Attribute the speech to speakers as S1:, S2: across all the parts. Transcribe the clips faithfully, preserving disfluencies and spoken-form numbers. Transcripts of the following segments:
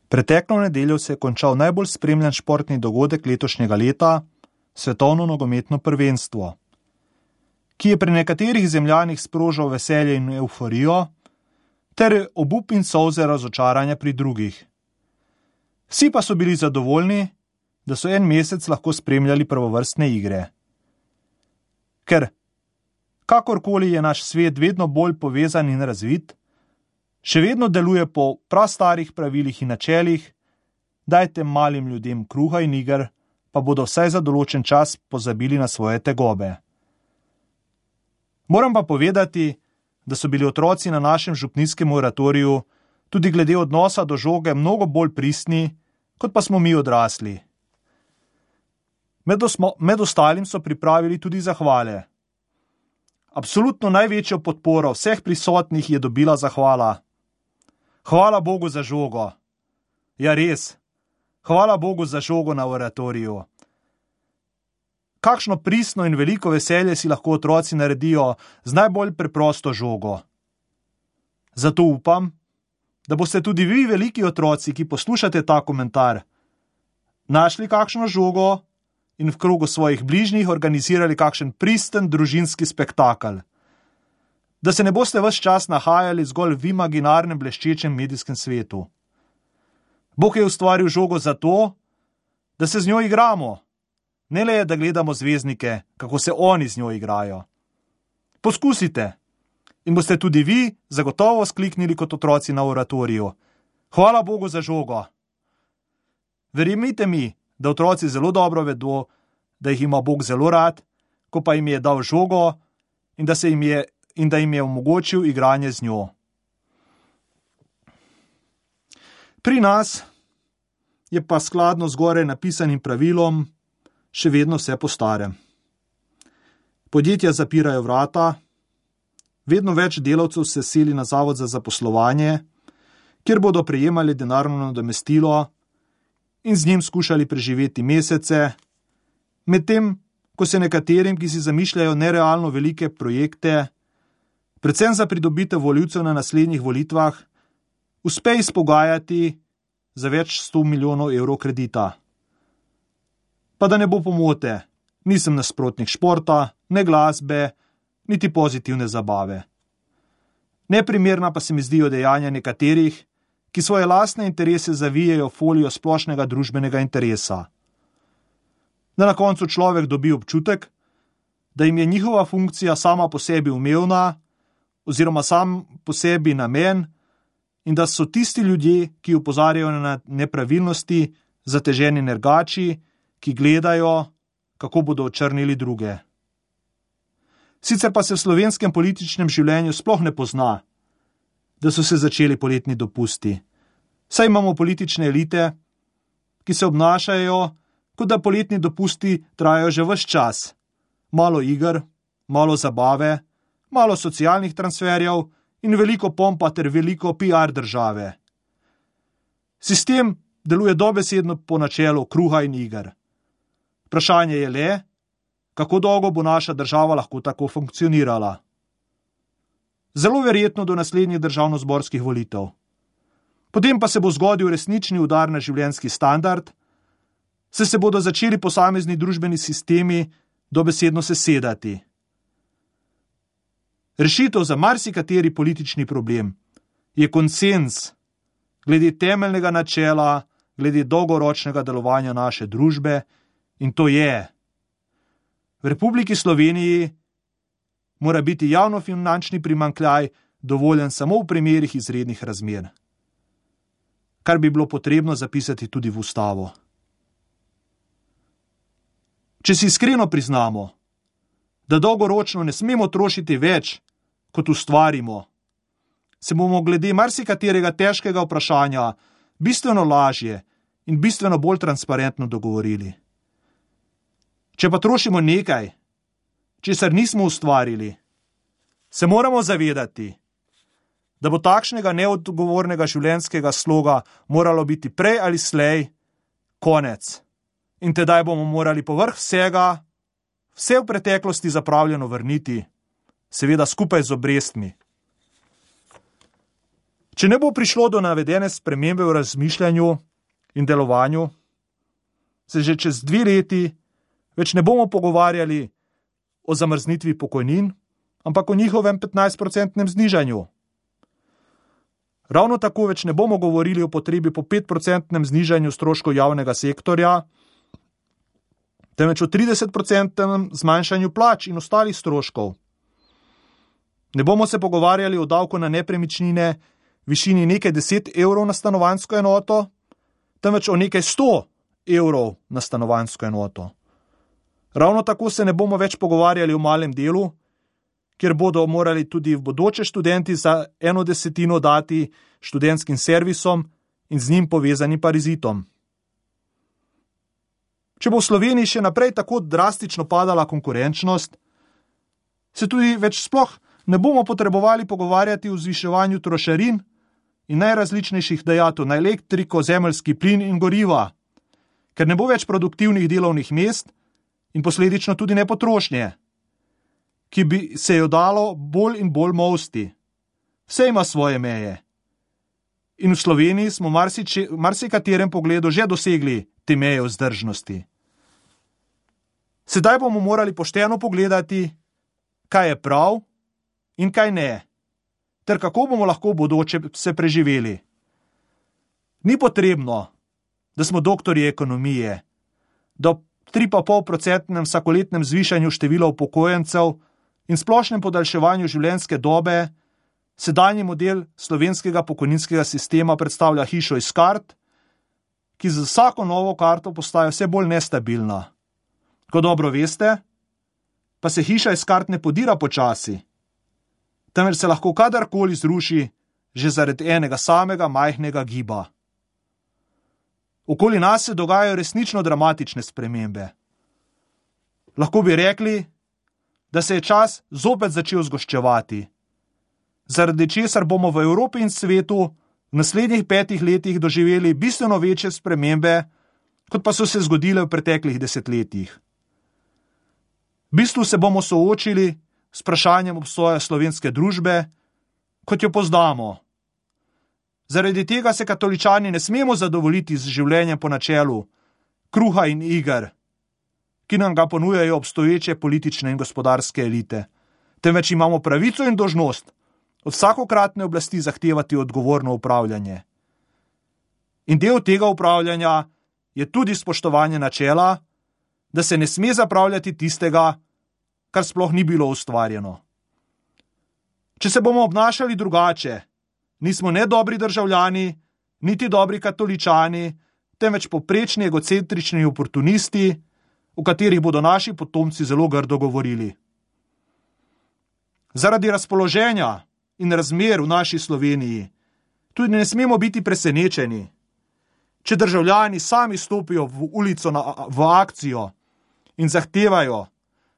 S1: Preteklo nedeljo se je končal najbolj spremljan športni dogodek letošnjega leta, svetovno nogometno prvenstvo, ki je pri nekaterih zemljanih sprožal veselje in evforijo, ter obup in solze razočaranja pri drugih. Vsi pa so bili zadovoljni, da so en mesec lahko spremljali prvovrstne igre. Ker, kakorkoli je naš svet vedno bolj povezan in razvit, še vedno deluje po prastarih pravilih in načelih, dajte malim ljudem kruha in iger, pa bodo vsaj za določen čas pozabili na svoje tegobe. Moram pa povedati, da so bili otroci na našem župnijskem oratoriju tudi glede odnosa do žoge mnogo bolj pristni, kot pa smo mi odrasli. Med, osmo, med ostalim so pripravili tudi zahvale. Absolutno največjo podporo vseh prisotnih je dobila zahvala. Hvala Bogu za žogo. Ja, res. Hvala Bogu za žogo na oratoriju. Kakšno pristno in veliko veselje si lahko otroci naredijo z najbolj preprosto žogo. Zato upam, da boste tudi vi, veliki otroci, ki poslušate ta komentar, našli kakšno žogo in v krogu svojih bližnjih organizirali kakšen pristen družinski spektakel. Da se ne boste ves čas nahajali zgolj v imaginarnem bleščečem medijskem svetu. Bog je ustvaril žogo zato, da se z njo igramo. Ne le, da gledamo zvezdnike, kako se oni z njo igrajo. Poskusite in boste tudi vi zagotovo skliknili kot otroci na oratoriju. Hvala Bogu za žogo. Verjemite mi, da otroci zelo dobro vedo, da jih ima Bog zelo rad, ko pa jim je dal žogo in da, se jim, je, in da jim je omogočil igranje z njo. Pri nas je pa skladno zgoraj napisanim pravilom še vedno vse po starem. Podjetja zapirajo vrata, vedno več delavcev se seli na zavod za zaposlovanje, kjer bodo prejemali denarno nadomestilo in z njim skušali preživeti mesece, medtem ko se nekaterim, ki si zamišljajo nerealno velike projekte, predvsem za pridobitev volivcev na naslednjih volitvah, uspe izpogajati za več sto milijonov evrov kredita. Pa da ne bo pomote, nisem nasprotnik športa, ne glasbe, niti pozitivne zabave. Neprimerna pa se mi zdijo dejanja nekaterih, ki svoje lastne interese zavijejo folijo splošnega družbenega interesa. Da na koncu človek dobi občutek, da jim je njihova funkcija sama po sebi umevna oziroma sam po sebi namen in da so tisti ljudje, ki opozarjajo na nepravilnosti, zateženi nergači, ki gledajo, kako bodo očrnili druge. Sicer pa se v slovenskem političnem življenju sploh ne pozna, da so se začeli poletni dopusti. Saj imamo politične elite, ki se obnašajo, kot da poletni dopusti trajajo že ves čas. Malo iger, malo zabave, malo socialnih transferjev in veliko pompa ter veliko P R države. Sistem deluje dobesedno po načelu kruha in iger. Vprašanje je le, kako dolgo bo naša država lahko tako funkcionirala. Zelo verjetno do naslednjih državnozborskih volitev. Potem pa se bo zgodil resnični udar na življenjski standard, saj se bodo začeli posamezni družbeni sistemi dobesedno sesedati. Rešitev za marsikateri politični problem je konsenz glede temeljnega načela, glede dolgoročnega delovanja naše družbe, in to je: v Republiki Sloveniji mora biti javnofinančni primanjkljaj dovoljen samo v primerih izrednih razmer, kar bi bilo potrebno zapisati tudi v ustavo. Če si iskreno priznamo, da dolgoročno ne smemo trošiti več, kot ustvarimo, se bomo glede marsikaterega težkega vprašanja bistveno lažje in bistveno bolj transparentno dogovorili. Če pa trošimo nekaj, česar nismo ustvarili, se moramo zavedati, da bo takšnega neodgovornega življenjskega sloga moralo biti prej ali slej konec. In tedaj bomo morali povrh vsega, vse v preteklosti zapravljeno vrniti, seveda skupaj z obrestmi. Če ne bo prišlo do navedene spremembe v razmišljanju in delovanju, se že čez dve leti več ne bomo pogovarjali o zamrznitvi pokojnin, ampak o njihovem petnajstprocentnem znižanju. Ravno tako več ne bomo govorili o potrebi po petprocentnem znižanju stroškov javnega sektorja, temveč o tridesetprocentnem zmanjšanju plač in ostalih stroškov. Ne bomo se pogovarjali o davku na nepremičnine višini nekaj deset evrov na stanovanjsko enoto, temveč o nekaj sto evrov na stanovanjsko enoto. Ravno tako se ne bomo več pogovarjali o malem delu, kjer bodo morali tudi v bodoče študenti za eno desetino dati študentskim servisom in z njim povezanim parazitom. Če bo v Sloveniji še naprej tako drastično padala konkurenčnost, se tudi več sploh ne bomo potrebovali pogovarjati o zviševanju trošarin in najrazličnejših dajatev na elektriko, zemeljski plin in goriva, ker ne bo več produktivnih delovnih mest in posledično tudi ne potrošnje, ki bi se jo dalo bolj in bolj molsti. Vse ima svoje meje. In v Sloveniji smo marsiče, marsikaterem pogledu že dosegli te meje vzdržnosti. Sedaj bomo morali pošteno pogledati, kaj je prav in kaj ne, ter kako bomo lahko v bodoče se preživeli. Ni potrebno, da smo doktorji ekonomije, da ob tri pa pol procentnem vsakoletnem zvišanju števila upokojencev in splošnem podaljševanju življenjske dobe sedanji model slovenskega pokojninskega sistema predstavlja hišo iz kart, ki z vsako novo karto postaja vse bolj nestabilna. Ko dobro veste, pa se hiša iz kart ne podira počasi, temveč se lahko kadarkoli zruši že zaradi enega samega majhnega giba. Okoli nas se dogajajo resnično dramatične spremembe. Lahko bi rekli, da se je čas zopet začel zgoščevati, zaradi česar bomo v Evropi in svetu v naslednjih petih letih doživeli bistveno večje spremembe, kot pa so se zgodile v preteklih desetletjih. V bistvu se bomo soočili s vprašanjem obstoja slovenske družbe, kot jo poznamo. Zaradi tega se katoličani ne smemo zadovoljiti z življenjem po načelu kruha in iger, ki nam ga ponujajo obstoječe politične in gospodarske elite, temveč imamo pravico in dolžnost od vsakokratne oblasti zahtevati odgovorno upravljanje. In del tega upravljanja je tudi spoštovanje načela, da se ne sme zapravljati tistega, kar sploh ni bilo ustvarjeno. Če se bomo obnašali drugače, nismo ne dobri državljani, niti dobri katoličani, temveč poprečni egocentrični oportunisti, o katerih bodo naši potomci zelo grdo govorili. Zaradi razpoloženja in razmer v naši Sloveniji tudi ne smemo biti presenečeni, če državljani sami stopijo v ulico na, v akcijo in zahtevajo,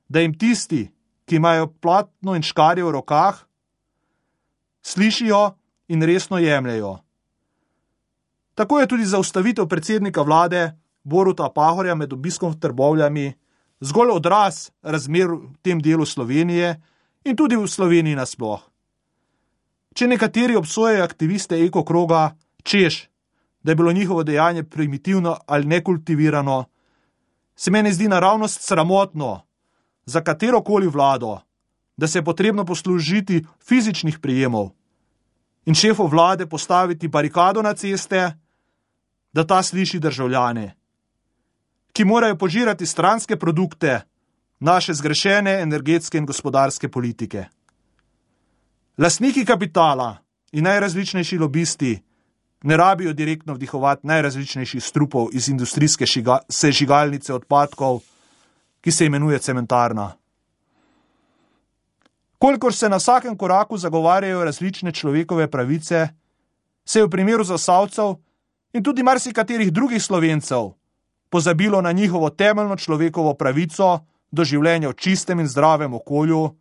S1: da jim tisti, ki imajo platno in škarje v rokah, slišijo in resno jemljejo. Tako je tudi zaustavitev predsednika vlade Boruta Pahorja med obiskom v Trbovljami zgolj odraz razmer v tem delu Slovenije in tudi v Sloveniji nasploh. Če nekateri obsojajo aktiviste ekokroga, češ, da je bilo njihovo dejanje primitivno ali nekultivirano, se meni zdi naravnost sramotno za katerokoli vlado, da se je potrebno poslužiti fizičnih prijemov in šefu vlade postaviti barikado na ceste, da ta sliši državljane, ki morajo požirati stranske produkte naše zgrešene energetske in gospodarske politike. Lastniki kapitala in najrazličnejši lobisti ne rabijo direktno vdihovati najrazličnejših strupov iz industrijske šiga, sežigalnice odpadkov, ki se imenuje cementarna. Kolikor se na vsakem koraku zagovarjajo različne človekove pravice, se je v primeru Zasavcev in tudi marsikaterih drugih Slovencev pozabilo na njihovo temeljno človekovo pravico do življenja v čistem in zdravem okolju,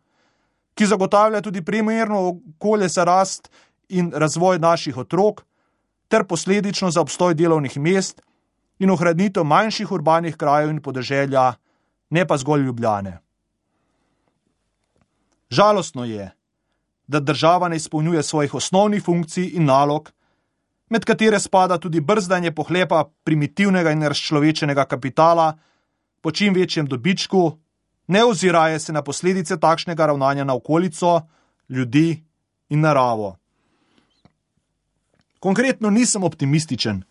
S1: ki zagotavlja tudi primerno okolje za rast in razvoj naših otrok, ter posledično za obstoj delovnih mest in ohranitev manjših urbanih krajev in podeželja, ne pa zgolj Ljubljane. Žalostno je, da država ne izpolnjuje svojih osnovnih funkcij in nalog, med katere spada tudi brzdanje pohlepa primitivnega in razčlovečenega kapitala po čim večjem dobičku, ne oziraje se na posledice takšnega ravnanja na okolico, ljudi in naravo. Konkretno nisem optimističen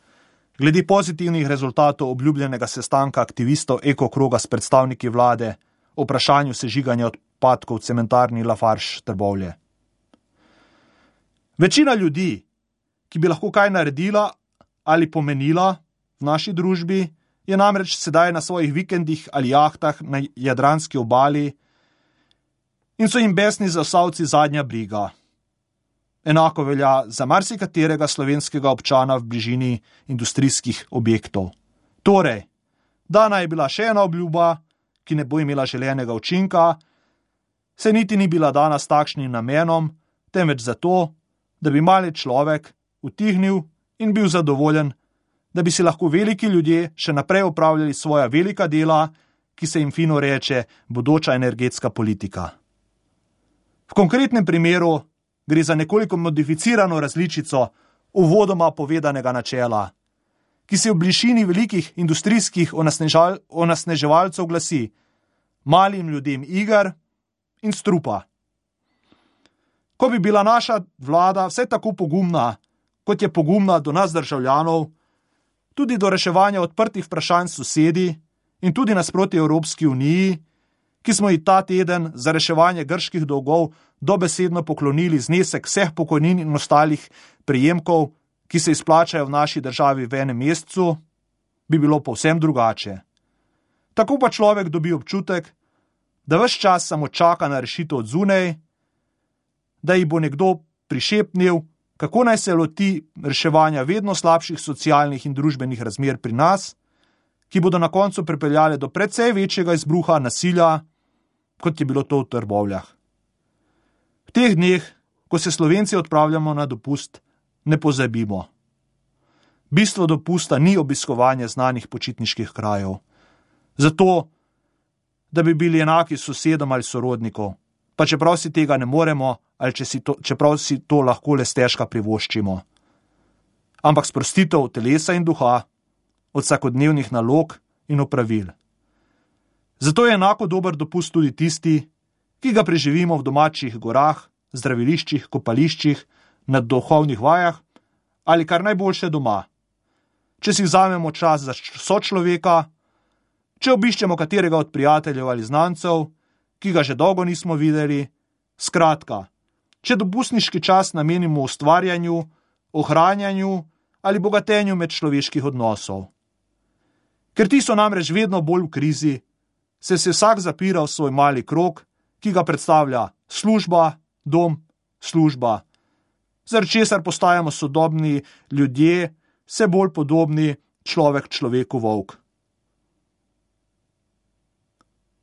S1: glede pozitivnih rezultatov obljubljenega sestanka aktivistov ekokroga s predstavniki vlade o vprašanju sežiganja odpadkov v cementarni Lafarge Trbovlje. Večina ljudi, ki bi lahko kaj naredila ali pomenila v naši družbi, je namreč sedaj na svojih vikendih ali jahtah na jadranski obali in so jim besni zasavci zadnja briga. Enako velja za marsikaterega slovenskega občana v bližini industrijskih objektov. Torej, dana je bila še ena obljuba, ki ne bo imela želenega učinka, se niti ni bila dana s takšnim namenom, temveč zato, da bi mali človek utihnil in bil zadovoljen, da bi si lahko veliki ljudje še naprej opravljali svoja velika dela, ki se jim fino reče bodoča energetska politika. V konkretnem primeru gre za nekoliko modificirano različico uvodoma povedanega načela, ki se v bližini velikih industrijskih onesnežal, onesneževalcev glasi: malim ljudem iger in strupa. Ko bi bila naša vlada vse tako pogumna, kot je pogumna do nas državljanov, tudi do reševanja odprtih vprašanj sosedi in tudi nasproti Evropski uniji, ki smo ji ta teden za reševanje grških dolgov dobesedno poklonili znesek vseh pokojnin in ostalih prejemkov, ki se izplačajo v naši državi v enem mesecu, bi bilo povsem drugače. Tako pa človek dobi občutek, da ves čas samo čaka na rešitev od zunaj, da ji bo nekdo prišepnil, kako naj se loti reševanja vedno slabših socialnih in družbenih razmer pri nas, ki bodo na koncu pripeljale do precej večjega izbruha nasilja, kot je bilo to v Trbovljah. V teh dneh, ko se Slovenci odpravljamo na dopust, ne pozabimo. Bistvo dopusta ni obiskovanje znanih počitniških krajev. Zato, da bi bili enaki sosedom ali sorodnikov, pa čeprav si tega ne moremo, ali če si to, čeprav si to lahko le stežka privoščimo. Ampak sprostitev telesa in duha od vsakodnevnih nalog in opravil. Zato je enako dober dopust tudi tisti, ki ga preživimo v domačih gorah, zdraviliščih, kopališčih, na duhovnih vajah ali kar najboljše doma. Če si vzamemo čas za sočloveka, če obiščemo katerega od prijateljev ali znancev, ki ga že dolgo nismo videli, skratka, če dopustniški čas namenimo ustvarjanju, ohranjanju ali bogatenju medčloveških odnosov. Ker ti so namreč vedno bolj v krizi, se se vsak zapira v svoj mali krog, ki ga predstavlja služba, dom, služba, zaradi česar postajamo sodobni ljudje vse bolj podobni človek človeku volk.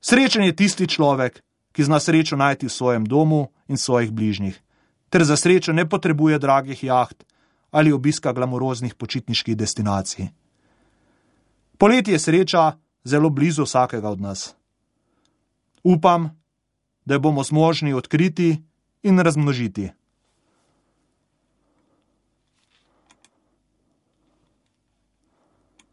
S1: Srečen je tisti človek, ki zna srečo najti v svojem domu in svojih bližnjih, ter za srečo ne potrebuje dragih jaht ali obiska glamuroznih počitniških destinacij. Poleti je sreča zelo blizu vsakega od nas. Upam, da jo bomo zmožni odkriti in razmnožiti.